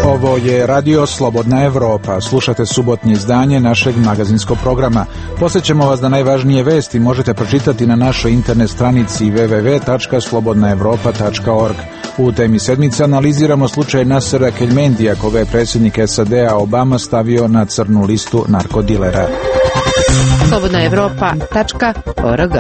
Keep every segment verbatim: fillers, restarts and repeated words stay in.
Ovo je Radio Slobodna Evropa. Slušate subotnje izdanje našeg magazinskog programa. Posjećamo vas da najvažnije vesti možete pročitati na našoj internet stranici w w w tačka slobodna evropa tačka org. U temi sedmice analiziramo slučaj Nasera Keljmendija, koga je predsjednik S A D-a Obama stavio na crnu listu narkodilera. slobodna evropa tačka org.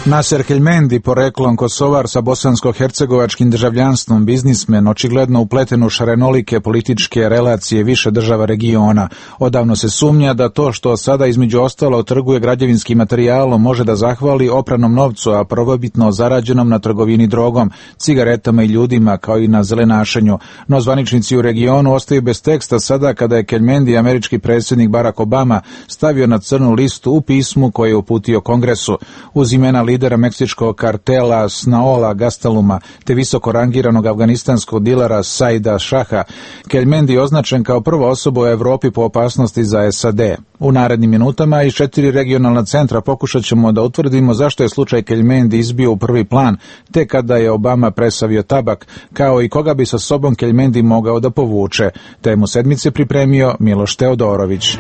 Naser Keljmendi, poreklom Kosovar sa bosansko-hercegovačkim državljanstvom, biznismen, očigledno upleten u šarenolike političke relacije više država regiona. Odavno se sumnja da to što sada između ostalo trguje građevinskim materijalom može da zahvali opranom novcu, a prvobitno zarađenom na trgovini drogom, cigaretama i ljudima, kao i na zelenašenju. No zvaničnici u regionu ostaju bez teksta sada kada je Keljmendi američki predsjednik Barack Obama stavio na crnu listu u pismu koje je uputio Kongresu. Uz imena lidera meksičkog kartela Snaola Gasteluma te visoko rangiranog afganistanskog dilera Saida Šaha, Keljmendi je označen kao prva osoba u Evropi po opasnosti za S A D. U narednim minutama iz četiri regionalna centra pokušat ćemo da utvrdimo zašto je slučaj Keljmendi izbio u prvi plan, te kada je Obama presavio tabak, kao i koga bi sa sobom Keljmendi mogao da povuče. Temu sedmice pripremio Miloš Teodorović.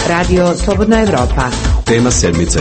Radio Slobodna Evropa. Tema sedmice.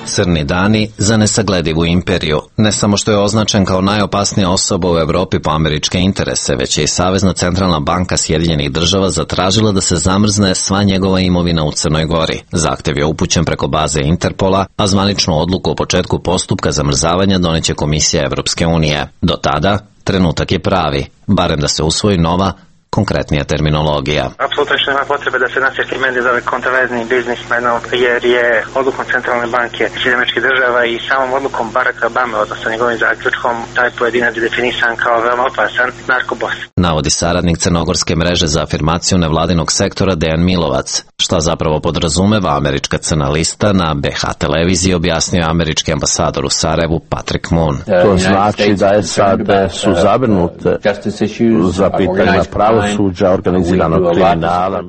Crni dani za nesagledivu imperiju. Ne samo što je označen kao najopasnija osoba u Evropi po američke interese, već je i Savezna centralna banka Sjedinjenih država zatražila da se zamrzne sva njegova imovina u Crnoj Gori. Zahtev je upućen preko baze Interpola, a zvaničnu odluku o početku postupka zamrzavanja doneće Komisija Evropske unije. Do tada, trenutak je pravi, barem da se usvoji nova, konkretnija terminologija. Apsolutno što nema potrebe da se Nasir Keljmendi zove kontroverzni biznismenom, jer je odlukom Centralne banke Sjedinjenih Američkih Država i samom odlukom Baracka Obame, odnosno njegovim zaključkom, taj pojedinac je definisan kao veoma opasan narkobos. Navodi saradnik crnogorske mreže za afirmaciju nevladinog sektora Dejan Milovac. Šta zapravo podrazumeva američka crna lista na B H televiziji objasnio američki ambasador u Sarajevu Patrick Moon. To znači da je sad su zabrinute za pitanja pravosuđa, organiziranog kriminala.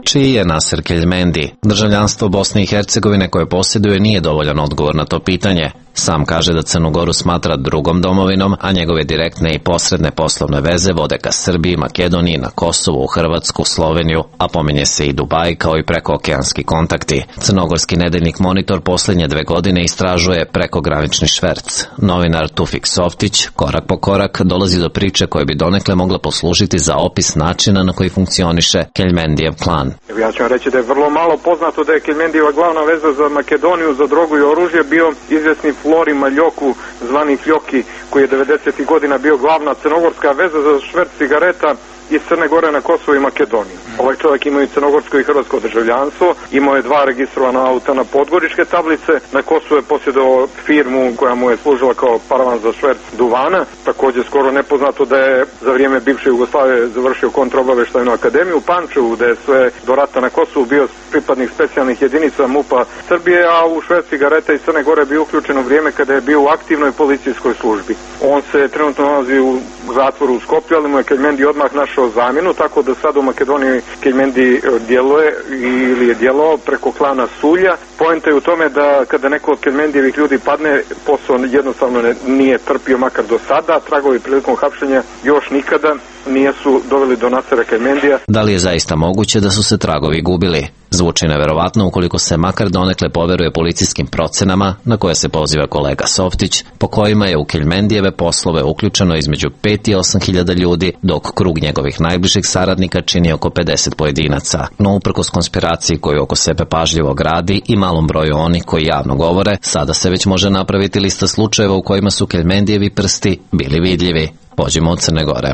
Čiji je Naser Keljmendi? Državljanstvo Bosne i Hercegovine koje posjeduje nije dovoljan odgovor na to pitanje. Sam kaže da Crnu Goru smatra drugom domovinom, a njegove direktne i posredne poslovne veze vode ka Srbiji, Makedoniji, na Kosovu, u Hrvatsku, Sloveniju, a pominje se i Dubaj kao i prekookeanski kontakti. Crnogorski nedeljnik Monitor posljednje dve godine istražuje prekogranični šverc. Novinar Tufik Softić, korak po korak, dolazi do priče koje bi donekle mogla poslužiti za opis načina na koji funkcioniše Keljmendijev klan. Ja ću vam reći da je vrlo malo poznato da je Keljmendijeva glavna veza za Makedoniju, za drogu i oružje bio izvjesni Flori Maljoku, zvani Fljoki, koji je devedesetih godina bio glavna crnogorska veza za šverc cigareta iz Crne Gore na Kosovo i Makedoniju. Ovaj čovjek ima i crnogorsko i hrvatsko državljanstvo, imao je dva registrovana auta na podgoričke tablice, na Kosovo je posjedovao firmu koja mu je služila kao paravan za šverc duvana, također skoro nepoznato da je za vrijeme bivše Jugoslavije završio kontraobavještajnu akademiju u Pančevu, da je sve do rata na Kosovu bio pripadnik specijalnih jedinica MUP-a Srbije, a u šverc cigareta iz Crne Gore bio uključen u vrijeme kada je bio u aktivnoj policijskoj službi. On se trenutno nalazi u zatvoru u Skopju, ali mu je Keljmendi odmah našao zamjenu, tako da sad u Makedoniji Keljmendi djeluje ili je djelovao preko klana Sulja. Poenta je u tome da kada neko od Keljmendijevih ljudi padne, posao jednostavno ne, nije trpio makar do sada, tragovi prilikom hapšenja još nikada nijesu doveli do Nasera Keljmendija. Da li je zaista moguće da su se tragovi gubili? Zvuči neverovatno ukoliko se makar donekle poveruje policijskim procenama na koje se poziva kolega Softić, po kojima je u Keljmendijeve poslove uključeno između pet i osam hiljada ljudi, dok krug njegovih najbližih saradnika čini oko pedeset pojedinaca. No uprkos konspiraciji koju oko sebe pažljivo gradi i malom broju onih koji javno govore, sada se već može napraviti lista slučajeva u kojima su Keljmendijevi prsti bili vidljivi. Pođimo od Crne Gore.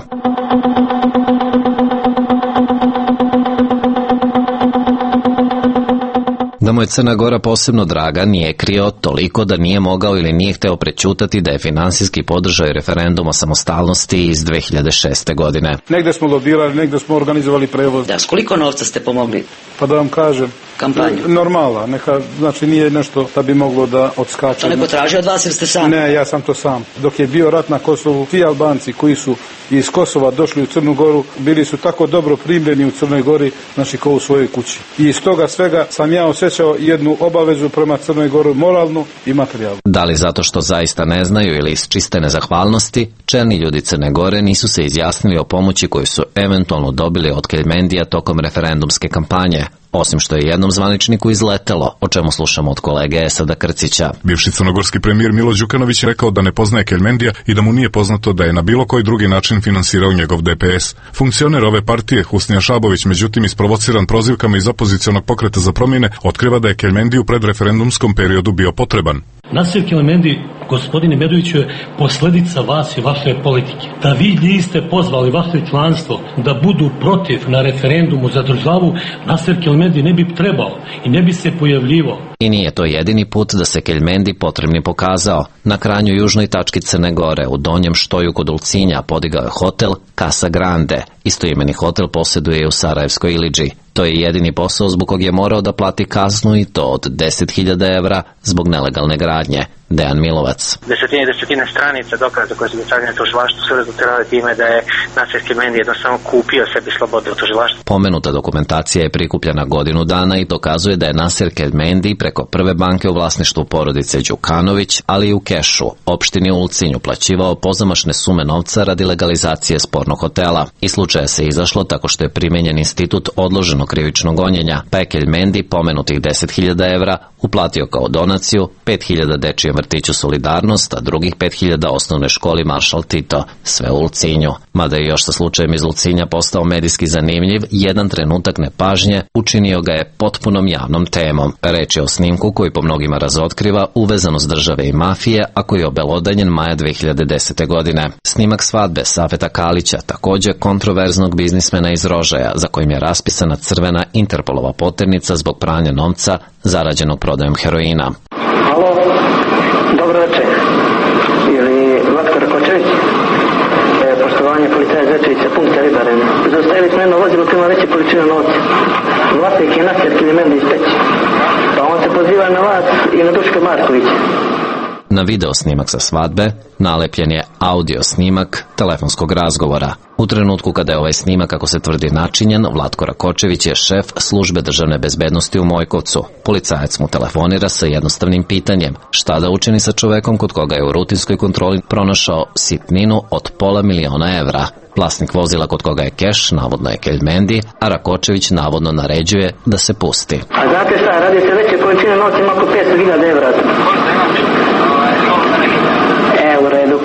Da mu je Crna Gora posebno draga nije krio toliko da nije mogao ili nije hteo prećutati da je finansijski podržao referendum o samostalnosti iz dve hiljade šeste. godine. Negde smo lobirali, negde smo organizovali prevoz. Da, s koliko novca ste pomogli? Pa da vam kažem, kampanju? Normala, neka, znači nije nešto da bi moglo da odskače. To neko traži od vas jer ste sam? Ne, ja sam to sam. Dok je bio rat na Kosovu, ti Albanci koji su iz Kosova došli u Crnu Goru, bili su tako dobro primljeni u Crnoj Gori, znači kao u svojoj kući. I iz toga svega sam ja osjećao jednu obavezu prema Crnoj Gori, moralnu i materijalnu. Da li zato što zaista ne znaju ili iz čiste nezahvalnosti, čelni ljudi Crne Gore nisu se izjasnili o pomoći koju su eventualno dobili od Keljmendija tokom referendumske kampanje, osim što je jednom zvaničniku izletelo, o čemu slušamo od kolege Esada Krcića. Bivši crnogorski premijer Milo Đukanović je rekao da ne poznaje Keljmendija i da mu nije poznato da je na bilo koji drugi način finansirao njegov D P S. Funkcioner ove partije, Husnija Šabović, međutim isprovociran prozivkama iz opozicionog pokreta za promjene, otkriva da je Keljmendi u predreferendumskom periodu bio potreban. Nasir Keljmendi, gospodine Medoviću, je posljedica vas i vaše politike. Da vi niste pozvali vaše članstvo da budu protiv na referendumu za državu, Nasir Keljmendi ne bi trebao i ne bi se pojavljivao. I nije to jedini put da se Keljmendi potrebni pokazao. Na krajnjoj južnoj tački Crne Gore, u Donjem Štoju kod Ulcinja, podigao je hotel Casa Grande. Istoimeni hotel posjeduje i u Sarajevskoj Ilidži. To je jedini posao zbog kog je morao da plati kaznu i to od deset hiljada evra zbog nelegalne gradnje. Dejan Milovac. Desetine i desetine stranica dokaza koje su dostavljene tužilaštvu su rezultirale time da je Nasir Keljmendi jednostavno kupio sebi slobodu u tužilaštvu. Pomenuta dokumentacija je prikupljena godinu dana i dokazuje da je Nasir Keljmendi preko prve banke u vlasništvu porodice Đukanović, ali i u kešu, opštini Ulcinj, uplaćivao pozamašne sume novca radi legalizacije spornog hotela. Iz slučaja se izašlo tako što je primenjen institut odloženog krivičnog gonjenja, pa je Keljmendi pomenutih deset hiljada evra uplatio kao donaciju, pet hiljada dečijem vrtiću Solidarnost, a drugih pet hiljada osnovnoj školi Maršal Tito, sve u Ulcinju. Mada je još sa slučajem iz Ulcinja postao medijski zanimljiv, jedan trenutak nepažnje učinio ga je potpunom javnom temom. Reč je o snimku koji po mnogima razotkriva uvezanost države i mafije, a koji je obelodanjen maja dve hiljade desete. godine. Snimak svadbe Safeta Kalića, takođe kontroverznog biznismena iz Rožaja, za kojim je raspisana crvena Interpolova poternica zbog pranja novca zarađenog prodajom heroina. Halo, dobro večer. Ili Vatka Rakočević? E, poštovanje policaja Zečevića, punkta Ribaren. Zaustavili smo jedno vozilo koje ima veće količine novca. Vlasnik je Nasir Keljmendi iz Peći. Pa on se poziva na vas i na Duška Markovića. Na video snimak sa svadbe nalepljen je audio snimak telefonskog razgovora. U trenutku kada je ovaj snimak, kako se tvrdi, načinjen, Vlatko Rakočević je šef službe državne bezbednosti u Mojkovcu. Policajac mu telefonira sa jednostavnim pitanjem: šta da učini sa čovekom kod koga je u rutinskoj kontroli pronašao sitninu od pola miliona evra. Vlasnik vozila kod koga je keš navodno je Keljmendi, a Rakočević navodno naređuje da se pusti. A znate šta, radi se veće količine novca, ima oko petsto hiljada evra. E, u redu.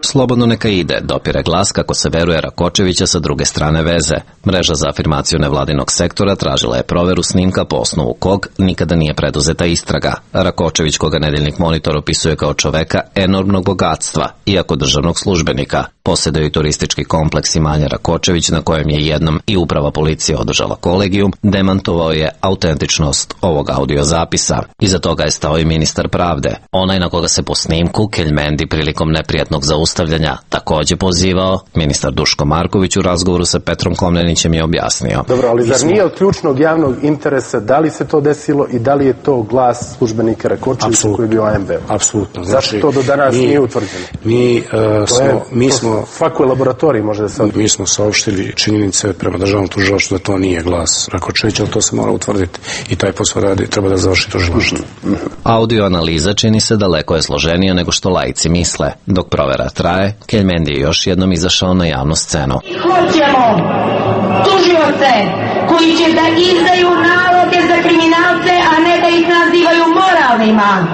Slobodno neka ide, dopire glas kako se veruje Rakočevića sa druge strane veze. Mreža za afirmaciju nevladinog sektora tražila je proveru snimka po osnovu kog nikada nije preduzeta istraga. Rakočević, koga Nedeljnik Monitor opisuje kao čoveka enormnog bogatstva, iako državnog službenika, posjeduje i turistički kompleks Imanja Rakočević, na kojem je jednom i uprava policije održala kolegijum, demantovao je autentičnost ovog audio zapisa. Iza toga je stao i ministar pravde, onaj na koga se po snimku Keljmendi prilikom neprijatnog zaustavljanja takođe pozivao. Ministar Duško Marković u razgovoru sa Petrom Komnenićem je objasnio. Dobro, ali zar nije od ključnog javnog interesa da li se to desilo i da li je to glas službenika Rakočevića koji je bio A M B? Apsolutno. Zašto to do danas nije utvrđeno? Mi smo, mi smo svakoj laboratoriji može da se... Mi smo saopštili činjenice prema državnom tužilaštvu da to nije glas Rakočevića, ali to se mora utvrditi i taj posao radi, treba da završi tužilaštvo. Audio analiza čini se daleko je složenija nego što laici misle. Dok provera traje, Keljmendi je još jednom izašao na javnu scenu. Hoćemo tužioce koji će da izdaju naloge za kriminalce, a ne da ih nazivaju moralnima.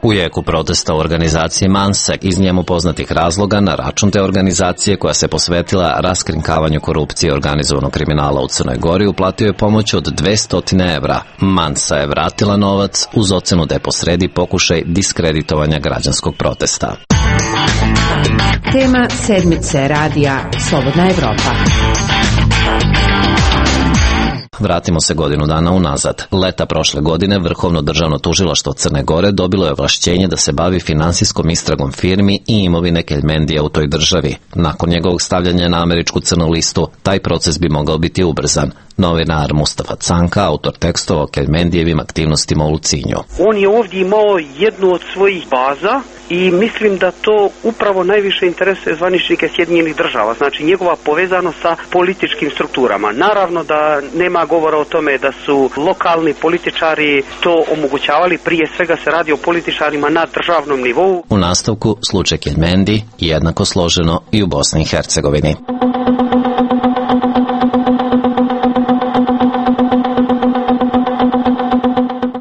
U jeku protesta u organizaciji Manse, iz njemu poznatih razloga, na račun te organizacije koja se posvetila raskrinkavanju korupcije i organizovanog kriminala u Crnoj Gori, uplatio je pomoć od dvesta evra. Mansa je vratila novac uz ocenu da je posredi pokušaj diskreditovanja građanskog protesta. Tema sedmice radija Slobodna Evropa. Vratimo se godinu dana unazad. Leta prošle godine Vrhovno državno tužilaštvo Crne Gore dobilo je ovlašćenje da se bavi finansijskom istragom firmi i imovine Keljmendija u toj državi. Nakon njegovog stavljanja na američku crnu listu, taj proces bi mogao biti ubrzan. Novinar Mustafa Canka, autor tekstova o Keljmendijevim aktivnostima u Lucinju. On je ovdje imao jednu od svojih baza i mislim da to upravo najviše interesuje zvaničnike Sjedinjenih država, znači njegova povezanost sa političkim strukturama. Naravno da nema govora o tome da su lokalni političari to omogućavali, prije svega se radi o političarima na državnom nivou. U nastavku slučaj Keljmendi jednako složeno i u Bosni i Hercegovini.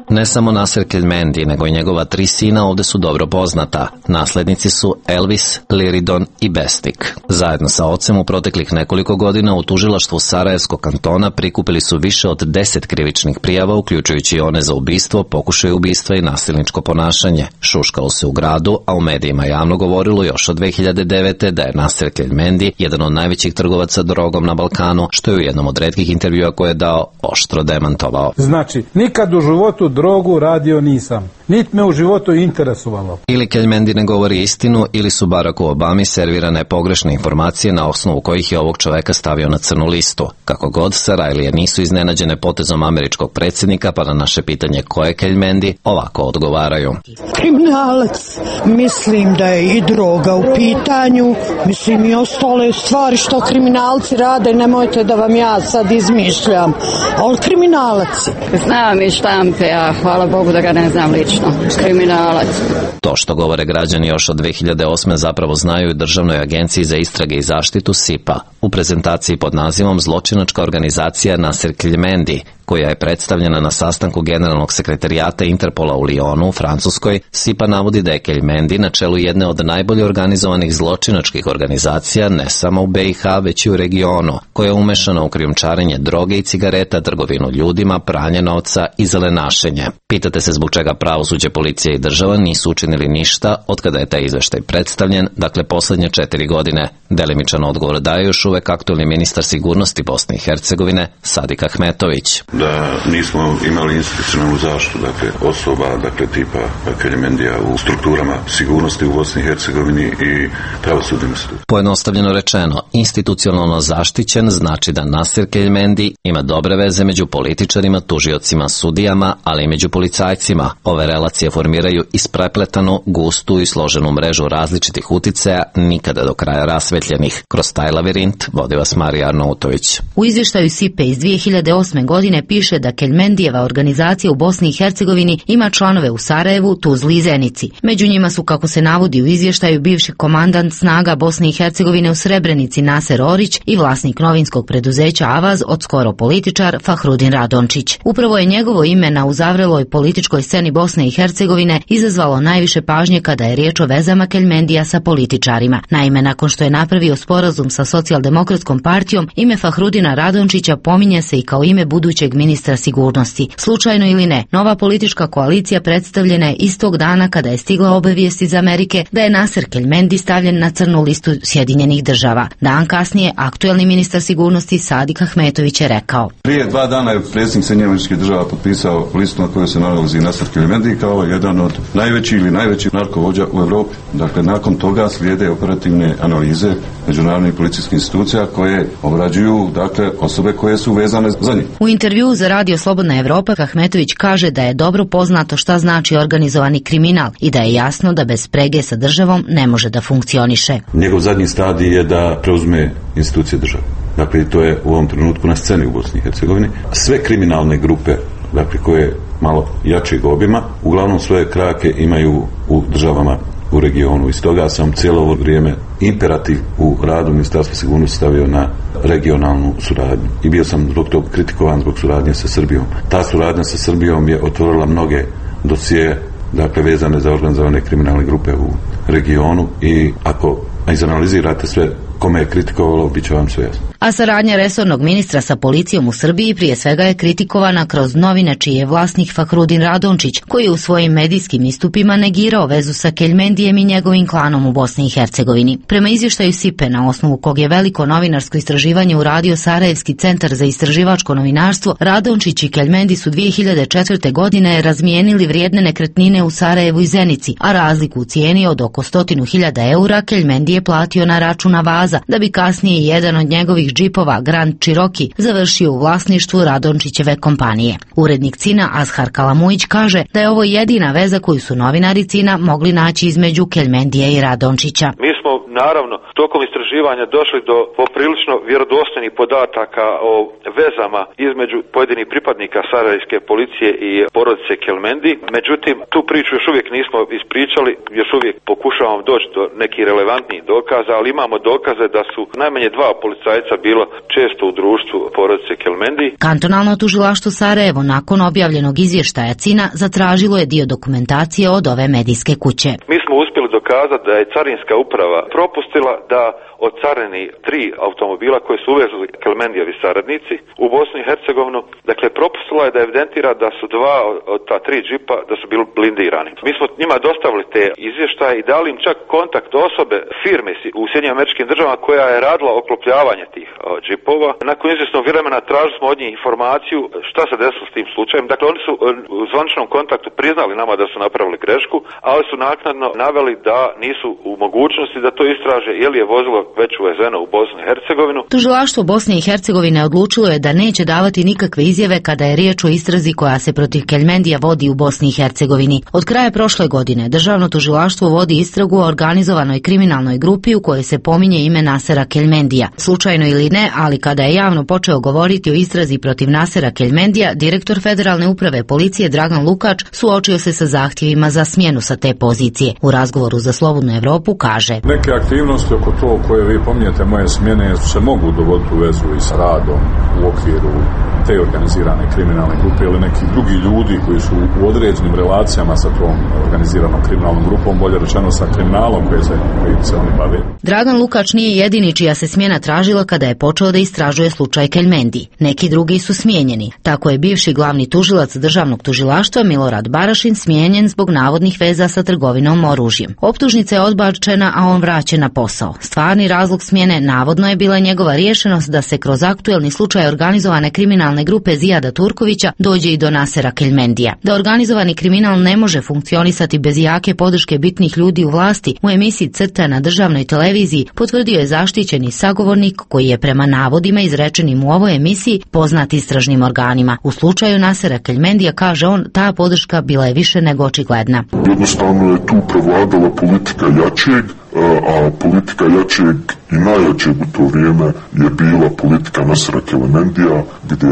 Ne samo Nasser Keljmendi, nego i njegova tri sina ovde su dobro poznata. Naslednici su Elvis, Liridon i Bestik. Zajedno sa ocem u proteklih nekoliko godina u tužilaštvu Sarajevskog kantona prikupili su više od deset krivičnih prijava, uključujući one za ubistvo, pokušaj ubistva i nasilničko ponašanje. Šuškalo se u gradu, a u medijima javno govorilo još od dve hiljade devete. da je Nasser Keljmendi jedan od najvećih trgovaca drogom na Balkanu, što je u jednom od retkih intervjua koje je dao oštro demantovao. Znači, nikad u životu drogu radio nisam. Nit me u životu interesovalo. Ili Keljmendi ne govori istinu, ili su Baracku Obami servirane pogrešne informacije na osnovu kojih je ovog čoveka stavio na crnu listu. Kako god, Sarajlije nisu iznenađene potezom američkog predsjednika, pa na naše pitanje ko je Keljmendi, ovako odgovaraju. Kriminalac. Mislim da je i droga u pitanju. Mislim i ostale stvari što kriminalci rade, nemojte da vam ja sad izmišljam. Ali kriminalac. Znam i štampe, a hvala Bogu da ga ne znam lično. Kriminalac. To što govore građani još od dve hiljade osme zapravo znaju i Državnoj agenciji za istrage i zaštitu S I P A. U prezentaciji pod nazivom Zločinačka organizacija Nasser Keljmendi, koja je predstavljena na sastanku generalnog sekretarijata Interpola u Lyonu u Francuskoj, S I P A navodi da je Keljmendi na čelu jedne od najbolje organizovanih zločinačkih organizacija ne samo u B i H, već i u regionu, koja je umešana u krijumčarenje droge i cigareta, trgovinu ljudima, pranje novca i zelenašenje. Pitate se zbog čega pravosuđe, policija i država nisu učinili ništa od kada je taj izveštaj predstavljen, dakle poslednje četiri godine. Delimičan odgovor daje još uvek aktuelni ministar sigurnosti Bosne i Hercegovine Sadik Ahmetović. Da nismo imali institucionalnu zaštitu, dakle osoba, dakle tipa Keljmendija u strukturama sigurnosti u Bosni i Hercegovini i pravosudnim institucijama. Pojednostavljeno rečeno, institucionalno zaštićen znači da Nasser Keljmendi ima dobre veze među političarima, tužiocima, sudijama, ali i među policajcima. Ove relacije formiraju isprepletanu, gustu i složenu mrežu različitih uticaja, nikada do kraja rasvetljenih. Kroz taj lavirint vodi vas Marija Arnautović. U izvještaju S I P E iz dve hiljade osme godine piše da Keljmendijeva organizacija u Bosni i Hercegovini ima članove u Sarajevu, Tuzli i Zenici. Među njima su, kako se navodi u izvještaju, bivši komandant snaga Bosne i Hercegovine u Srebrenici Naser Orić i vlasnik novinskog preduzeća Avaz, od skoro političar Fahrudin Radončić. Upravo je njegovo ime na uzavreloj političkoj sceni Bosne i Hercegovine izazvalo najviše pažnje kada je riječ o vezama Keljmendija sa političarima. Naime, nakon što je napravio sporazum sa Socijaldemokratskom partijom, ime Fahrudina Radončića pominje se i kao ime budućeg ministra sigurnosti. Slučajno ili ne, nova politička koalicija predstavljena je istog dana kada je stigla obavijest iz Amerike da je Nasser Keljmendi stavljen na crnu listu Sjedinjenih država. Dan kasnije, aktuelni ministar sigurnosti Sadik Ahmetović je rekao. Prije dva dana je predsjednik Sjedinjenih Američkih Država potpisao listu na kojoj se nalazi Nasser Keljmendi kao jedan od najvećih ili najveći narkovođa u Europi. Dakle, nakon toga slijede operativne analize međunarodnih policijskih institucija koje obrađuju, dakle, osobe koje su vezane za njih. U intervjuu za Radio Slobodna Evropa Ahmetović kaže da je dobro poznato šta znači organizovani kriminal i da je jasno da bez sprege sa državom ne može da funkcioniše. Njegov zadnji stadij je da preuzme institucije države. Dakle, to je u ovom trenutku na sceni u Bosni i Hercegovini. Sve kriminalne grupe, dakle, koje malo jačeg obima, uglavnom svoje krake imaju u državama u regionu. I stoga sam cijelo ovo vrijeme imperativ u radu Ministarstva sigurnosti stavio na regionalnu suradnju. I bio sam zbog toga kritikovan zbog suradnje sa Srbijom. Ta suradnja sa Srbijom je otvorila mnoge dosije, dakle, vezane za organizovane kriminalne grupe u regionu i ako izanalizirate sve kome je kritikovalo, bit će vam sve jasno. A saradnja resornog ministra sa policijom u Srbiji prije svega je kritikovana kroz novine čiji je vlasnik Fahrudin Radončić, koji je u svojim medijskim istupima negirao vezu sa Keljmendijem i njegovim klanom u Bosni i Hercegovini. Prema izvještaju S I P E, na osnovu kog je veliko novinarsko istraživanje uradio Sarajevski centar za istraživačko novinarstvo, Radončić i Keljmendi su dvije hiljade četvrte. godine razmijenili vrijedne nekretnine u Sarajevu i Zenici, a razliku u cijeni od oko stotinu hiljada eura Keljmendi je platio na račun Avaza, da bi kasnije jedan od njegovih džipova, Grand Cherokee, završio u vlasništvu Radončićeve kompanije. Urednik C I N-a Azhar Kalamujić kaže da je ovo jedina veza koju su novinari C I N-a mogli naći između Keljmendija i Radončića. Mi smo naravno tokom istraživanja došli do poprilično vjerodostojnih podataka o vezama između pojedinih pripadnika sarajevske policije i porodice Keljmendi. Međutim, tu priču još uvijek nismo ispričali, još uvijek pokušavamo doći do nekih relevantnih dokaza, ali imamo dokaze da su najmanje dva policajca bila često u društvu porodice Keljmendi. Kantonalno tužilaštvo Sarajevo nakon objavljenog izvještaja C I N-a zatražilo je dio dokumentacije od ove medijske kuće. Mi smo uspjeli dokazati da je carinska uprava propustila da ocareni tri automobila koje su uvezli Keljmendijevi saradnici u Bosnu i Hercegovinu. Dakle, propustila je da evidentira da su dva od ta tri džipa da su bili blindirani. Mi smo njima dostavili te izvještaje i dali im čak kontakt osobe firme u Sjedinjenim Američkim Državama koja je radila oklopljavanje tih o, džipova. Nakon izvjesnog vremena tražili smo od njih informaciju šta se desilo s tim slučajem. Dakle, oni su u zvaničnom kontaktu priznali nama da su napravili grešku, ali su naknadno naveli da nisu u mogućnosti da to istraže je li je vozilo već uvezeno u Bosnu i Hercegovinu. Tužilaštvo Bosne i Hercegovine odlučilo je da neće davati nikakve izjave kada je riječ o istrazi koja se protiv Keljmendija vodi u Bosni i Hercegovini. Od kraja prošle godine državno tužilaštvo vodi istragu o organizovanoj kriminalnoj grupi u kojoj se pominje ime Nasera Keljmendija. Slučajno ili ne, ali kada je javno počeo govoriti o istrazi protiv Nasera Keljmendija, direktor Federalne uprave policije Dragan Lukač suočio se sa zahtjevima za smjenu sa te pozicije. U razgovoru za Slobodnu Evropu kaže: Neke aktivnosti oko to koje vi pominjete moje smjene se mogu dogoditi u vezu i s radom u okviru te organizirane kriminalne grupe ili neki drugi ljudi koji su u određenim relacijama sa tom organiziranom kriminalnom grupom, bolje rečeno sa kriminalom koji se, koji se oni bave. Dragan Lukač nije jedini čija se smjena tražila kada je počeo da istražuje slučaj Keljmendi. Neki drugi su smijenjeni. Tako je bivši glavni tužilac državnog tužilaštva Milorad Barašin smijenjen zbog navodnih veza sa trgovinom oružjem. Optužnica je odbačena, a on vraćen na posao. Stvarni razlog smjene navodno je bila njegova riješenost da se kroz aktuelni slučaj organizovane kriminalne grupe Zijada Turkovića dođe i do Nasera Keljmendija. Da organizovani kriminal ne može funkcionisati bez jake podrške bitnih ljudi u vlasti, u emisiji Crta na državnoj televiziji potvrdio je zaštićeni sagovornik koji je prema navodima izrečenim u ovoj emisiji poznat istražnim organima. U slučaju Nasera Keljmendija, kaže on, ta podrška bila je više nego očigledna. Jednostavno je tu prevladala politika jačeg, a politika jačeg i najjačeg u to vrijeme je bila politika Nasera Keljmendija, gdje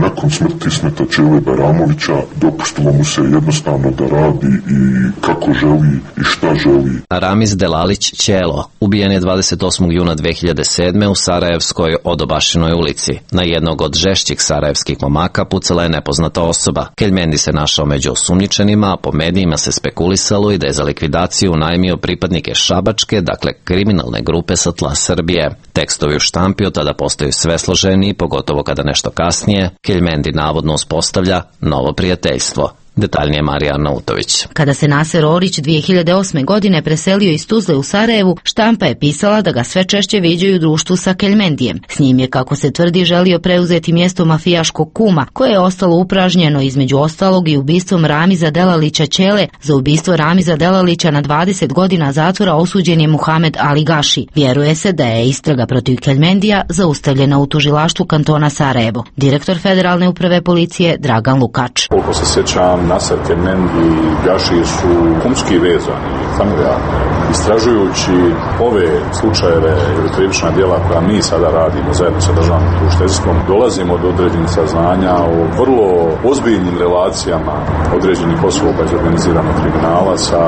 nakon smrti Ismeta Čele Bajramovića dopustilo mu se jednostavno da radi i kako želi i šta želi. Ramiz Delalić Ćelo ubijen je dvadeset osmog juna dve hiljade sedme. u Sarajevskoj Odobašinoj ulici. Na jednog od žešćih sarajevskih momaka pucala je nepoznata osoba. Keljmendi se našao među osumnjičenima, a po medijima se spekulisalo i da je za likvidaciju najmio pripadnike Šabačke, dakle kriminalne grupe sa tla Srbije. Tekstovi u štampi od tada postaju sve složeniji, pogotovo kada nešto kasnije Keljmendi navodno uspostavlja novo prijateljstvo. Detaljnije Marija Nautović. Kada se Naser Orić dvije hiljade osme. godine preselio iz Tuzle u Sarajevu, štampa je pisala da ga sve češće viđaju u društvu sa Keljmendijem. S njim je, kako se tvrdi, želio preuzeti mjesto mafijaškog kuma, koje je ostalo upražnjeno između ostalog i ubistvom Ramiza Delalića Ćele. Za ubistvo Ramiza Delalića na dvadeset godina zatvora osuđen je Muhamed Ali Gaši. Vjeruje se da je istraga protiv Keljmendija zaustavljena u tužilaštvu kantona Sarajevo. Direktor Federalne uprave policije Dragan Lukač. Koliko se sjećam, Naser Keljmendi i Gaši su kumski vezani, familijarni. Istražujući ove slučajeve ili krivična djela koja mi sada radimo zajedno sa državnim tužiteljstvom, dolazimo do određenih saznanja o vrlo ozbiljnim relacijama određenih osoba iz organiziranog kriminala sa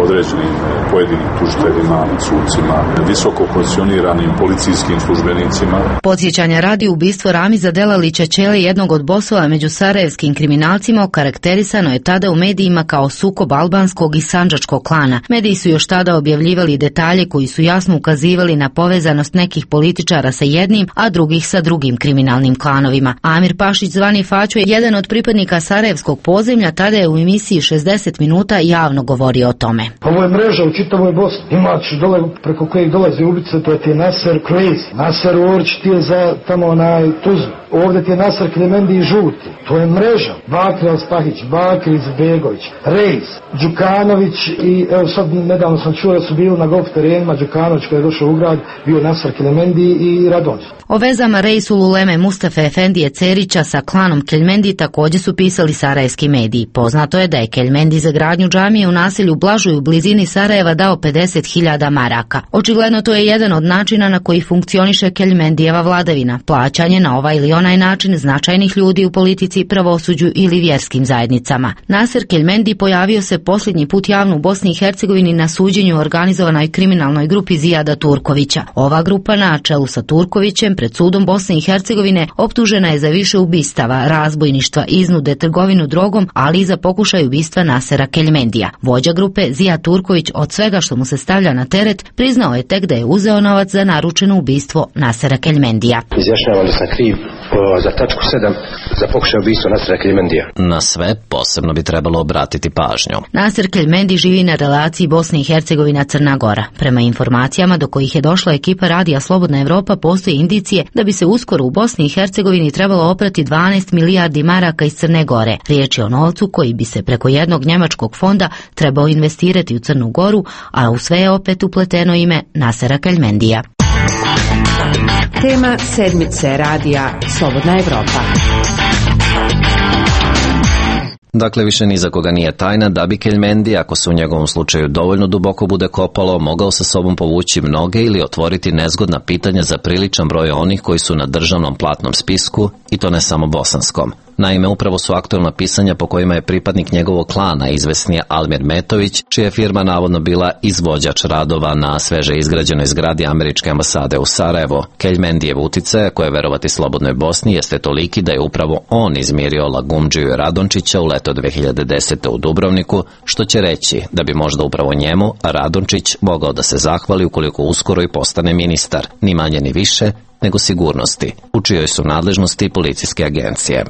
određenim pojedinim tužiteljima, sucima, visoko pozicioniranim policijskim službenicima. Podsjećanja radi ubistvo Ramiza Delalića Ćele, jednog od bosova među sarajevskim kriminalcima, okarakterisano je tada u medijima kao sukob albanskog i sandžačkog klana. Mediji su još tada objavljivali detalje koji su jasno ukazivali na povezanost nekih političara sa jednim, a drugih sa drugim kriminalnim klanovima. Amir Pašić, zvani Faćo, je jedan od pripadnika sarajevskog podzemlja, tada je u emisiji šezdeset minuta javno govorio o tome. Ovo je mreža u čitavoj Bosni. Imaš dole preko kojih dolaze ubice, to je ti je Naser Crazy. Naser Orć ti je za tamo onaj Tuzlu. Ovdje ti je Naser Klemendi i Žuti. To je mreža. Bakri Alspahić, Bakri Izbegović, Rejs, Đukanović i evo sad nedavno sam čuo da su bili na golf terenima. Đukanović koji je došao u grad, bio Naser Klemendi i Radonjić. O vezama Rejsul Uleme Mustafe Efendije Cerića sa klanom Keljmendi također su pisali sarajevski mediji. Poznato je da je Keljmendi za gradnju džamije u naselju Blažuj u blizini Sarajeva dao pedeset hiljada maraka. Očigledno to je jedan od načina na koji funkcioniše Keljmendijeva vladavina, plaćanje na ovaj ili onaj način značajnih ljudi u politici, pravosuđu ili vjerskim zajednicama. Naser Keljmendi pojavio se posljednji put javno u Bosni i Hercegovini na suđenju organizovanoj kriminalnoj grupi Zijada Turkovića. Ova grupa na čelu sa Turkovićem pred sudom Bosne i Hercegovine optužena je za više ubistava, razbojništva, iznude, trgovinu drogom, ali i za pokušaj ubistva Nasera Keljmendija. Vođa grupe Zijad Turković od svega što mu se stavlja na teret priznao je tek da je uzeo novac za naručeno ubistvo Nasera Keljmendija. Izjašnjavam da sam kriv za tačku sedam za pokušaj ubistva Nasera Keljmendija. Na sve posebno bi trebalo obratiti pažnju. Naser Keljmendi živi na relaciji Bosne i Hercegovina Crna Gora. Prema informacijama do kojih je došla ekipa radija Slobodna Evropa, postoje indicije da bi se uskoro u Bosni i Hercegovini trebalo oprati dvanaest milijardi maraka iz Crne Gore. Riječ je o novcu koji bi se preko jednog njemačkog fonda trebao investirati u Crnu Goru, a u sve je opet upleteno ime Nasera Keljmendija. Tema sedmice radija Slobodna Evropa. Dakle, više ni za koga nije tajna da bi Keljmendi, ako se u njegovom slučaju dovoljno duboko bude kopalo, mogao sa sobom povući mnoge ili otvoriti nezgodna pitanja za priličan broj onih koji su na državnom platnom spisku, i to ne samo bosanskom. Naime, upravo su aktualna pisanja po kojima je pripadnik njegovog klana, izvesni Almir Metović, čija je firma navodno bila izvođač radova na sveže izgrađenoj zgradi američke ambasade u Sarajevo. Keljmendijev uticaj, koje je verovati Slobodnoj Bosni, jeste toliki da je upravo on izmirio Lagumdžiju i Radončića u leto dve hiljade desete. u Dubrovniku, što će reći da bi možda upravo njemu Radončić mogao da se zahvali ukoliko uskoro i postane ministar, ni manje ni više nego sigurnosti, u čijoj su nadležnosti policijske agencije.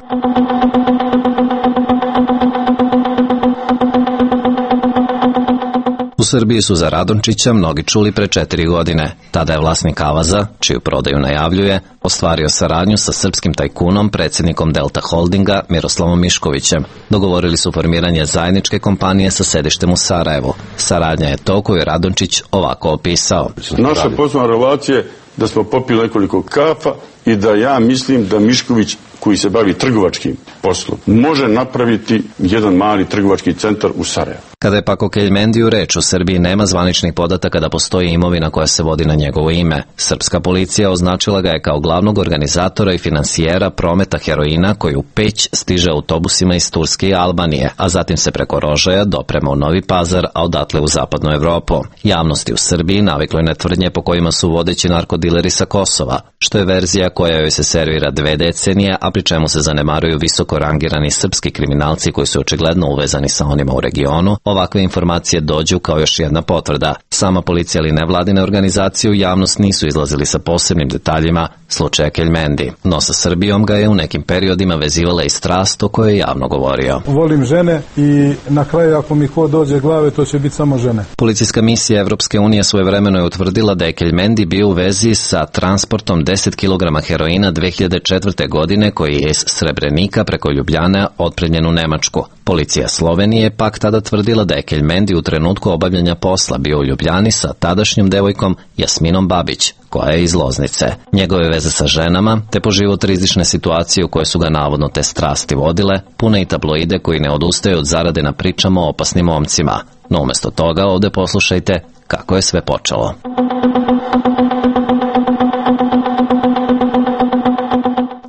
U Srbiji su za Radončića mnogi čuli pre četiri godine. Tada je vlasnik Avaza, čiju prodaju najavljuje, ostvario saradnju sa srpskim tajkunom, predsjednikom Delta Holdinga, Miroslavom Miškovićem. Dogovorili su formiranje zajedničke kompanije sa sedištem u Sarajevu. Saradnja je to koju je Radončić ovako opisao. Naša poslovna relacija je da smo popili nekoliko kafa i da ja mislim da Mišković, koji se bavi trgovačkim poslom, može napraviti jedan mali trgovački centar u Sarajevu. Kada je pak o Keljmendiju reč, u Srbiji nema zvaničnih podataka da postoji imovina koja se vodi na njegovo ime. Srpska policija označila ga je kao glavnog organizatora i finansijera prometa heroina koji u Peć stiže autobusima iz Turske i Albanije, a zatim se preko Rožaja doprema u Novi Pazar, a odatle u zapadnu Evropu. Javnosti u Srbiji naviklo je na tvrdnje po kojima su vodeći narkodileri sa Kosova, što je verzija koja joj se servira dve decenije, a pri čemu se zanemaruju visoko rangirani srpski kriminalci koji su očigledno uvezani sa onima u regionu. Ovakve informacije dođu kao još jedna potvrda. Sama policija ili nevladine organizacije u javnost nisu izlazili sa posebnim detaljima slučaja Keljmendi, no sa Srbijom ga je u nekim periodima vezivala i strast o kojoj je javno govorio. Volim žene i na kraju ako mi ko dođe glave, to će biti samo žene. Policijska misija Evropske unije svojevremeno je utvrdila da je Keljmendi bio u vezi sa transportom deset kilograma heroina dve hiljade četvrte. godine koji je iz Srebrenika preko Ljubljane otpremljen u Nemačku. Policija Slovenije pak tada tvrdila da je Keljmendi u trenutku obavljanja posla bio u Ljubljani sa tadašnjom devojkom Jasminom Babić, koja je iz Loznice. Njegove veze sa ženama, te po život rizične situacije u koje su ga navodno te strasti vodile, pune i tabloide koji ne odustaju od zarade na pričama o opasnim momcima. No umjesto toga ovdje poslušajte kako je sve počelo.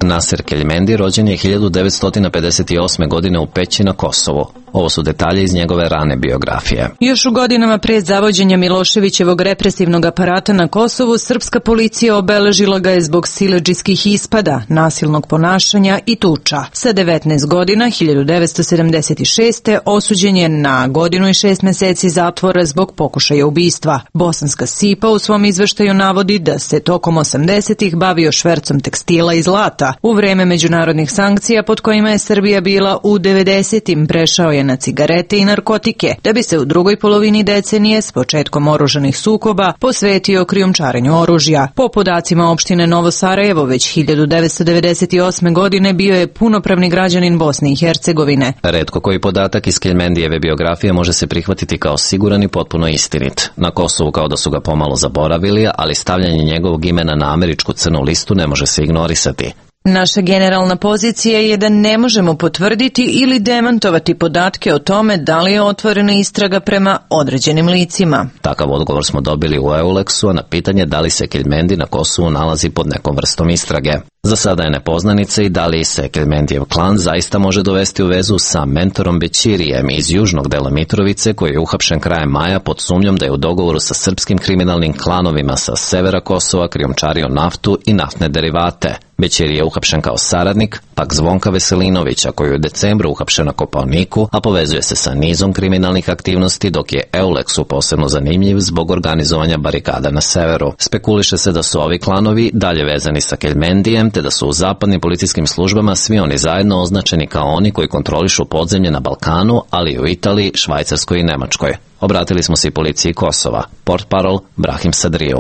Naser Keljmendi rođen je hiljadu devetsto pedeset osme. godine u Peći na Kosovu. Ovo su detalje iz njegove rane biografije. Još u godinama pred zavođenja Miloševićevog represivnog aparata na Kosovu, srpska policija obeležila ga je zbog siledžijskih ispada, nasilnog ponašanja i tuča. Sa devetnaest godina, hiljadu devetsto sedamdeset šeste. osuđen je na godinu i šest meseci zatvora zbog pokušaja ubistva. Bosanska Sipa u svom izveštaju navodi da se tokom osamdesetih bavio švercom tekstila i zlata. U vreme međunarodnih sankcija pod kojima je Srbija bila u devedesetim prešao je na cigarete i narkotike, da bi se u drugoj polovini decenije s početkom oružanih sukoba posvetio krijumčarenju oružja. Po podacima opštine Novo Sarajevo, već hiljadu devetsto devedeset osme. godine bio je punopravni građanin Bosne i Hercegovine. Retko koji podatak iz Keljmendijeve biografije može se prihvatiti kao siguran i potpuno istinit. Na Kosovu kao da su ga pomalo zaboravili, ali stavljanje njegovog imena na američku crnu listu ne može se ignorisati. Naša generalna pozicija je da ne možemo potvrditi ili demantovati podatke o tome da li je otvorena istraga prema određenim licima. Takav odgovor smo dobili u Euleksu, a na pitanje da li se Keljmendi na Kosovu nalazi pod nekom vrstom istrage. Za sada je nepoznanica i da li se Keljmendijev klan zaista može dovesti u vezu sa mentorom Bećirijem iz južnog dela Mitrovice, koji je uhapšen krajem maja pod sumnjom da je u dogovoru sa srpskim kriminalnim klanovima sa severa Kosova krijumčario naftu i naftne derivate. Bećiri je uhapšen kao saradnik, pak Zvonka Veselinovića, koji je u decembru uhapšen na Kopaoniku, a povezuje se sa nizom kriminalnih aktivnosti, dok je Euleksu posebno zanimljiv zbog organizovanja barikada na severu. Spekuliše se da su ovi klanovi dalje vezani sa Keljmendijem, te da su u zapadnim policijskim službama svi oni zajedno označeni kao oni koji kontrolišu podzemlje na Balkanu, ali i u Italiji, Švajcarskoj i Nemačkoj. Obratili smo se i policiji Kosova. Portparol Brahim Sadriju.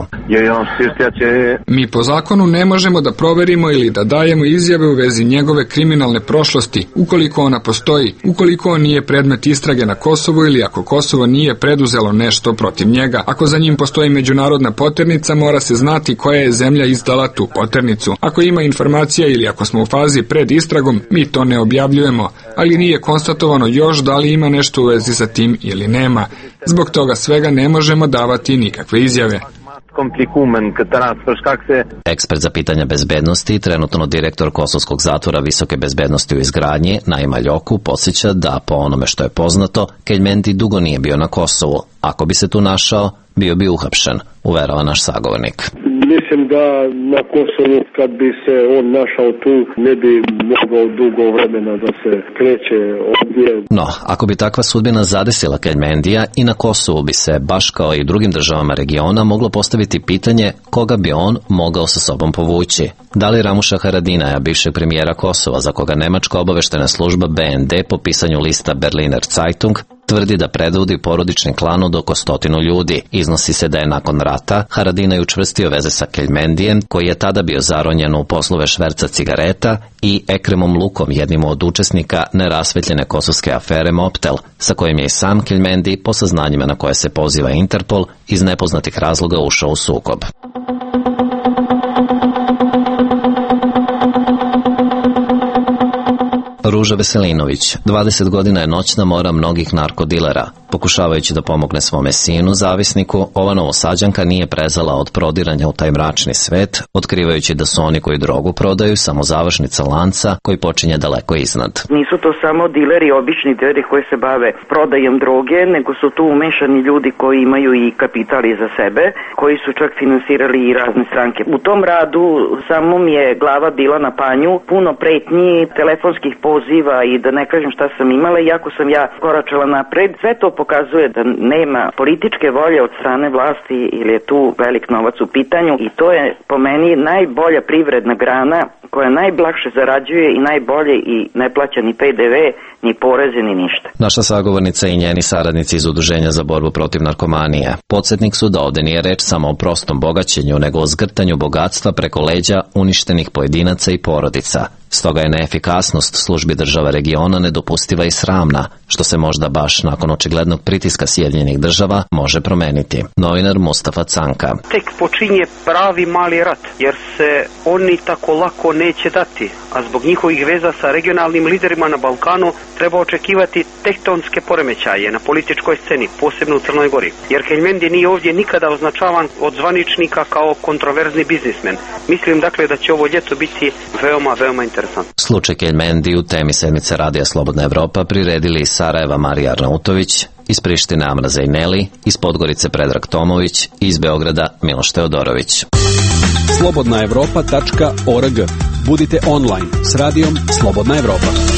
Mi po zakonu ne možemo da proverimo ili da dajemo izjave u vezi njegove kriminalne prošlosti, ukoliko ona postoji, ukoliko on nije predmet istrage na Kosovu ili ako Kosovo nije preduzelo nešto protiv njega. Ako za njim postoji međunarodna poternica, mora se znati koja je zemlja izdala tu poternicu. Ako ima informacija ili ako smo u fazi pred istragom, mi to ne objavljujemo, ali nije konstatovano još da li ima nešto u vezi sa tim ili nema. Zbog toga svega ne možemo davati nikakve izjave. Ekspert za pitanja bezbednosti, trenutno direktor Kosovskog zatvora visoke bezbednosti u izgradnji, Naima Ljoku, podsjeća da po onome što je poznato, Keljmendi dugo nije bio na Kosovu. Ako bi se tu našao, bio bi uhapšen, uverava naš sagovornik. Mislim da na Kosovu kad bi se on našao tu ne bi mogao dugo vremena da se kreće ovdje. No, ako bi takva sudbina zadesila Keljmendija, i na Kosovu bi se, baš kao i drugim državama regiona, moglo postaviti pitanje koga bi on mogao sa sobom povući. Da li Ramuša Haradinaja, bivšeg premijera Kosova, za koga nemačka obaveštena služba B N D po pisanju lista Berliner Zeitung tvrdi da predvodi porodični klan od oko stotinu ljudi. Iznosi se da je nakon rata Haradinaj učvrstio veze sa Keljmendijem, koji je tada bio zaronjen u poslove šverca cigareta, i Ekremom Lukom, jednim od učesnika nerasvetljene kosovske afere Moptel, sa kojim je i sam Keljmendi, po saznanjima na koje se poziva Interpol, iz nepoznatih razloga ušao u sukob. Ruža Veselinović, dvadeset godina je noćna mora mnogih narkodilera. Pokušavajući da pomogne svome sinu, zavisniku, ova Novosađanka nije prezala od prodiranja u taj mračni svet, otkrivajući da su oni koji drogu prodaju samo završnica lanca koji počinje daleko iznad. Nisu to samo dileri, obični dileri koji se bave prodajom droge, nego su tu umešani ljudi koji imaju i kapital iza sebe, koji su čak finansirali i razne stranke. U tom radu samo mi je glava bila na panju, puno pretnji, telefonskih poziva i da ne kažem šta sam imala, iako sam ja koračala napred. Sve to pokazuje da nema političke volje od strane vlasti ili je tu velik novac u pitanju, i to je po meni najbolja privredna grana koja najblakše zarađuje i najbolje i ne plaća ni P D V, ni poreze, ni ništa. Naša sagovornica i njeni saradnici iz Udruženja za borbu protiv narkomanije podsjetnik su da ovde nije reč samo o prostom bogaćenju, nego o zgrtanju bogatstva preko leđa uništenih pojedinaca i porodica. Stoga je neefikasnost službi država regiona nedopustiva i sramna, što se možda baš nakon očiglednog pritiska Sjedinjenih država može promeniti. Novinar Mustafa Canka. Tek počinje pravi mali rat, jer se oni tako lako neće dati, a zbog njihovih veza sa regionalnim liderima na Balkanu treba očekivati tektonske poremećaje na političkoj sceni, posebno u Crnoj Gori. Jer Keljmendi nije ovdje nikada označavan od zvaničnika kao kontroverzni biznismen. Mislim dakle da će ovo ljeto biti veoma, veoma interesantno. Slučaj Keljmendi u temi sedmice Radija Slobodna Evropa priredili iz Sarajeva Marija Arnautović, iz Prištine Amra Zajneli, iz Podgorice Predrag Tomović i iz Beograda Miloš Teodorović. slobodna evropa tačka org. Budite online s radijom Slobodna Evropa.